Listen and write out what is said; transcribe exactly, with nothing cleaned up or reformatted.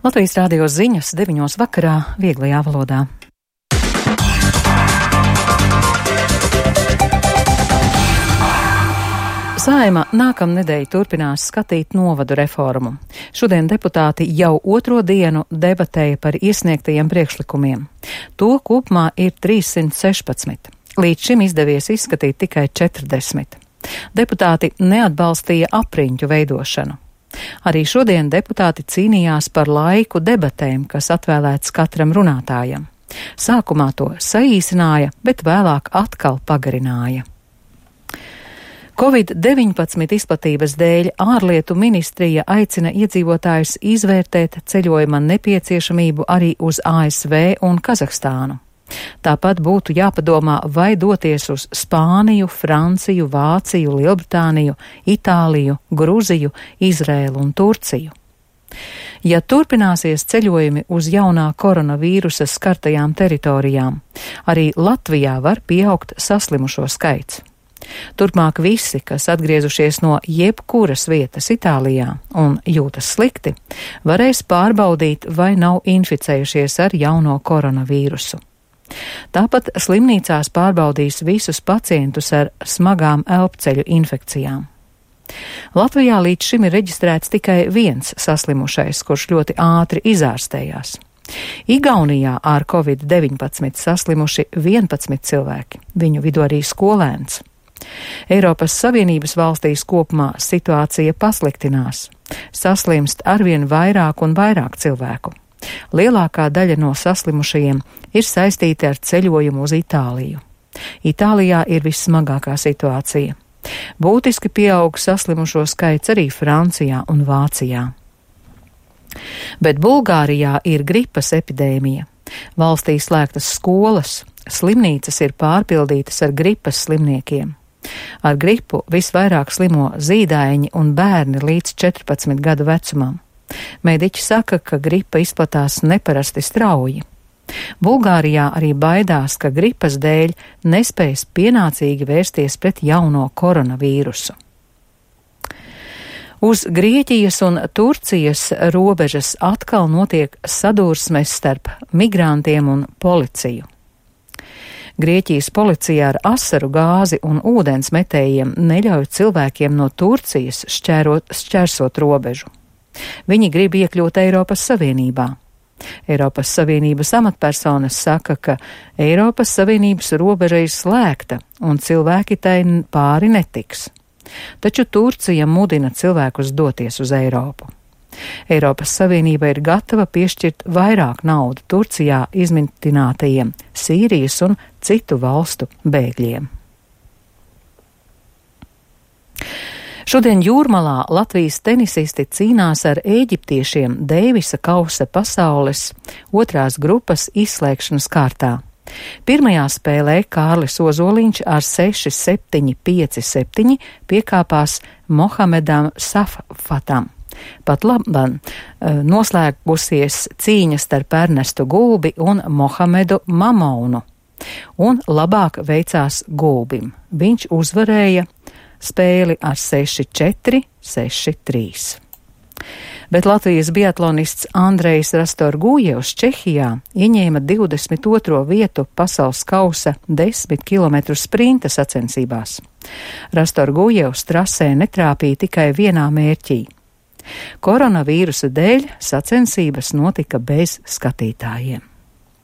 Latvijas Rādio ziņas deviņos vakarā vieglajā valodā. Saeima nākamnedēļ turpinās skatīt novadu reformu. Šodien deputāti jau otro dienu debatēja par iesniegtajiem priekšlikumiem. To kopumā ir trīssimt sešpadsmit. Līdz šim izdevies izskatīt tikai četrdesmit. Deputāti neatbalstīja apriņķu veidošanu. Arī šodien deputāti cīnījās par laiku debatēm, kas atvēlēts katram runātājam. Sākumā to saīsināja, bet vēlāk atkal pagarināja. covid deviņpadsmit izplatības dēļ ārlietu ministrija aicina iedzīvotājus izvērtēt ceļojuma nepieciešamību arī uz A S V un Kazahstānu. Tāpat būtu jāpadomā, vai doties uz Spāniju, Franciju, Vāciju, Lielbritāniju, Itāliju, Gruziju, Izrēlu un Turciju. Ja turpināsies ceļojumi uz jaunā koronavīrusa skartajām teritorijām, arī Latvijā var pieaugt saslimušo skaits. Turpmāk visi, kas atgriezušies no jebkuras vietas Itālijā un jūtas slikti, varēs pārbaudīt, vai nav inficējušies ar jauno koronavīrusu. Tāpat slimnīcās pārbaudīs visus pacientus ar smagām elpceļu infekcijām. Latvijā līdz šim ir reģistrēts tikai viens saslimušais, kurš ļoti ātri izārstējās. Igaunijā ar covid deviņpadsmit saslimuši vienpadsmit cilvēki, viņu vidū arī skolēns. Eiropas Savienības valstīs kopumā situācija pasliktinās. Saslimst arvien vairāk un vairāk cilvēku. Lielākā daļa no saslimušajiem ir saistīti ar ceļojumu uz Itāliju. Itālijā ir vissmagākā situācija. Būtiski pieaug saslimušo skaits arī Francijā un Vācijā. Bet Bulgārijā ir gripas epidēmija. Valstī slēgtas skolas, slimnīcas ir pārpildītas ar gripas slimniekiem. Ar gripu visvairāk slimo zīdaiņi un bērni līdz četrpadsmit gadu vecumam. Mediķi saka, ka gripa izplatās neparasti strauji. Bulgārijā arī baidās, ka gripas dēļ nespējas pienācīgi vērsties pret jauno koronavīrusu. Uz Grieķijas un Turcijas robežas atkal notiek sadursmes starp migrantiem un policiju. Grieķijas policija ar asaru gāzi un ūdens metējiem neļauj cilvēkiem no Turcijas šķērot, šķērsot robežu. Viņi grib iekļūt Eiropas Savienībā. Eiropas Savienības amatpersonas saka, ka Eiropas Savienības robeža ir slēgta un cilvēki tai pāri netiks. Taču Turcija mudina cilvēkus doties uz Eiropu. Eiropas Savienība ir gatava piešķirt vairāk naudu Turcijā izmitinātajiem Sīrijas un citu valstu bēgļiem. Šodien Jūrmalā Latvijas tenisisti cīnās ar ēģiptiešiem Deivisa kausa pasaules otrās grupas izslēgšanas kārtā. Pirmajā spēlē Kārlis Ozoliņš ar seši septiņi pieci septiņi piekāpās Mohamedam Saffatam. Pat labam noslēgusies cīņa starp Ernestu Gulbi un Mohamedu Mamounu, un labāk veicās Gulbim. Viņš uzvarēja spēli ar seši četri, seši trīs. Bet Latvijas biatlonists Andrejs Rastorgujevs Čehijā ieņēma divdesmit otro vietu pasaules kausa desmit kilometru sprinta sacensībās. Rastorgujevs trasē netrāpīja tikai vienā mērķī. Koronavīrusa dēļ sacensības notika bez skatītājiem.